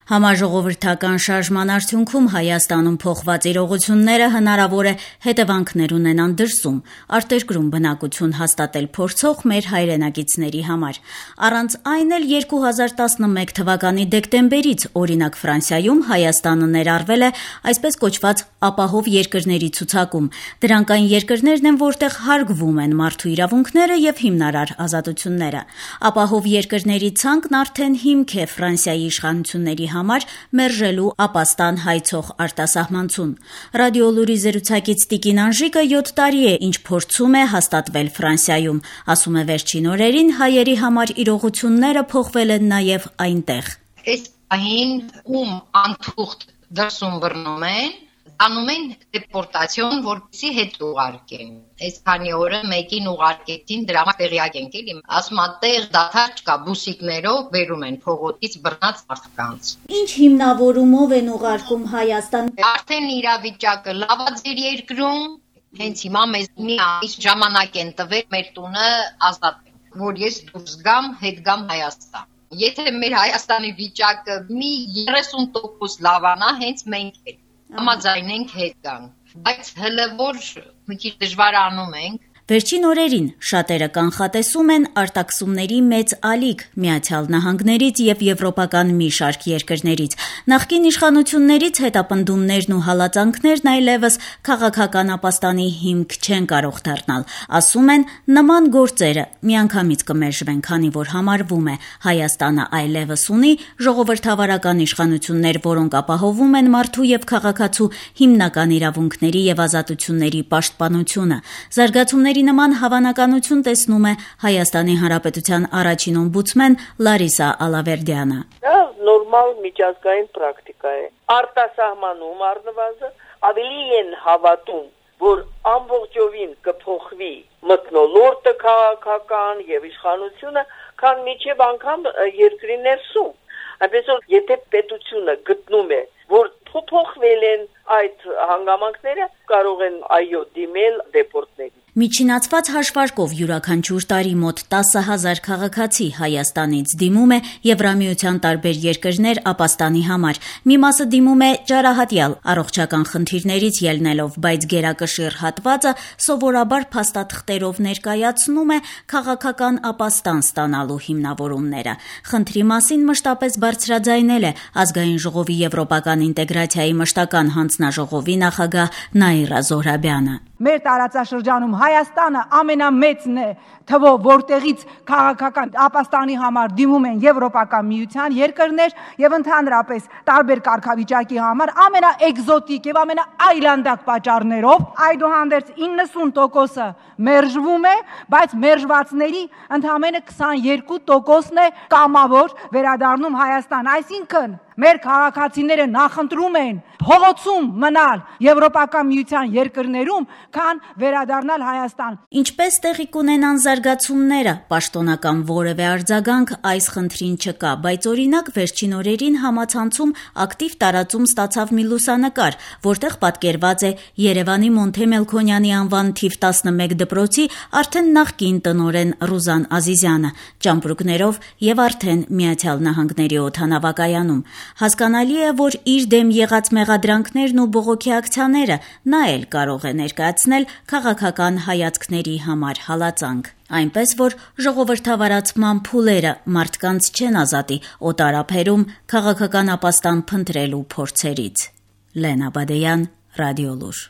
Համաժողովրդական շարժման արդյունքում Հայաստանում փոխված իրողությունները հնարավոր է հետևանքներ ունենան դրսում, արտերկրում բնակություն հաստատել փորձող մեր հայրենակիցների համար։ Առանց այն էլ 2011 թվականի դեկտեմբերից, օրինակ Ֆրանսիայում, Հայաստանը ներառվել է այսպես կոչված ապահով երկրների ցուցակում։ Դրանք այն երկրներն են, որտեղ հարգվում են մարդու իրավունքները եւ հիմնարար ազատությունները։ Ապահով երկրների ցանկն արդեն հիմք է Ֆրանսիայի իշխանությունների համար մերժելու ապաստան հայցող արտասահմանցուն։ Ռադիոլուրի զրուցակից Տիկին Անժիկը 7 տարի է, ինչ փորձում է հաստատվել Ֆրանսիայում, ասում է վերջին օրերին հայերի համար իրողությունները փոխվել են նաև այնտեղ։ Այս պահին ում անթուղթ դրսում բռնում են, անում են դեպորտացիոն, որպեսզի հետ ուղարկեն։ Այս քանի օրը մեկին ուղարկեցին, դրա համար տեղյակ ենք էլի։ Ասում են տեղ դադար չկա, բուսիկներով բերում են փողոցից բռնած մարդկանց։ Ինչ հիմնավորումով են ուղարկում Հայաստան։ Արդեն իրավիճակը լավ է ձեր երկրում, հենց հիմա մեզ մի ամիս ժամանակ են տվել մեր տունը ազատել, որ ես դուրս գամ, հետ գամ Հայաստան։ Եթե մեր Հայաստանի վիճակը մի 30% լավանա, հենց մենք ենք համաձայնենք հետ գանք, բայց հələ որ մի քիչ դժվարանում ենք։ Վերջին օրերին շատերը կանխատեսում են արտաքսումների մեծ ալիք Միացյալ Նահանգներից եւ եվրոպական մի շարք երկրներից։ Նախկին իշխանություններից հետապնդումներն ու հալածանքներն այլևս քաղաքական ապաստանի հիմք չեն կարող դառնալ։ Ասում են, նման գործերը միանգամից կմերժվեն, քանի որ համարվում է Հայաստանը այլևս ունի ժողովրդավարական իշխանություններ, որոնք ապահովում են մարդու եւ քաղաքացու հիմնական իրավունքների եւ ազատությունների պաշտպանությունը։ Զարգացումների նման հավանականություն տեսնում է Հայաստանի Հանրապետության առաջին օմբուդսմեն Լարիսա Ալավերդյանը։ Դա նորմալ միջազգային պրակտիկա է։ Արտասահմանում առնվազն ավելի են հավատում, որ ամբողջովին կփոխվի մթնոլորտը քաղաքական եւ իշխանությունը, քան միջև անգամ երկրի ներսում։ Այնպես որ եթե պետությունը գտնում է, որ փոխվել են այդ հանգամանքները, կարող են այո դիմել դեպորտների։ Միջինացված հաշվարկով յուրաքանչյուր տարի մոտ 10,000 քաղաքացի Հայաստանից դիմում է Եվրամիության տարբեր երկրներ ապաստանի համար։ Մի մասը դիմում է ջարահատյալ առողջական խնդիրներից ելնելով, բայց գերակշիռ հատվածը սովորաբար փաստաթղթերով ներկայացնում է քաղաքական ապաստան ստանալու հիմնավորումները։ Խնդրի մասին մշտապես բարձրաձայնել է Ազգային ժողովի եվրոպական ինտեգրացիայի մշտական հանձնաժողովի նախագահ Նաիրա Զոհրաբյանը։ Մեր տարածաշրջանում Հայաստանը ամենամեծն է թվով, որտեղից քաղաքական ապաստանի համար դիմում են Եվրոպական միության երկրներ եւ ընդհանրապես տարբեր կարգավիճակի համար ամենաէկզոտիկ եւ ամենաայլանդակ պատճառներով, այդուհանդերձ 90%-ը մերժվում է, բայց մերժվածների ընդամենը 22%-ն է կամավոր վերադառնում Հայաստան, այսինքն մեր քաղաքացիները նախընտրում են փողոցում մնալ Եվրոպական միության երկրներում, քան վերադառնալ Հայաստան։ Ինչպես տեղի կունենան զարգացումները, պաշտոնական որևէ արձագանք այս խնդրին չկա, բայց օրինակ վերջին օրերին համացանցում ակտիվ տարածում ստացավ մի լուսանկար, որտեղ պատկերված է Երևանի Մոնթե Մելքոնյանի անվան թիվ 11 դպրոցի արդեն նախկին տնօրեն Ռուզան Ազիզյանը, ճամպրուկներով եւ արդեն Միացյալ Նահանգների օդանավակայանում։ Հասկանալի է, որ իր դեմ եղած մեղադրանքներն ու բողոքի ակցիաները նա էլ կարող է ներկայացնել քաղաքական հայացքների համար հալածանք։ Այնպես որ ժողովրդավարացման փուլերը մարդկանց չեն ազատի օտարափերում քաղաքական ապաստան փնտրելու փորձերից։ Լենա Բադեյան, Ռադիոլուր։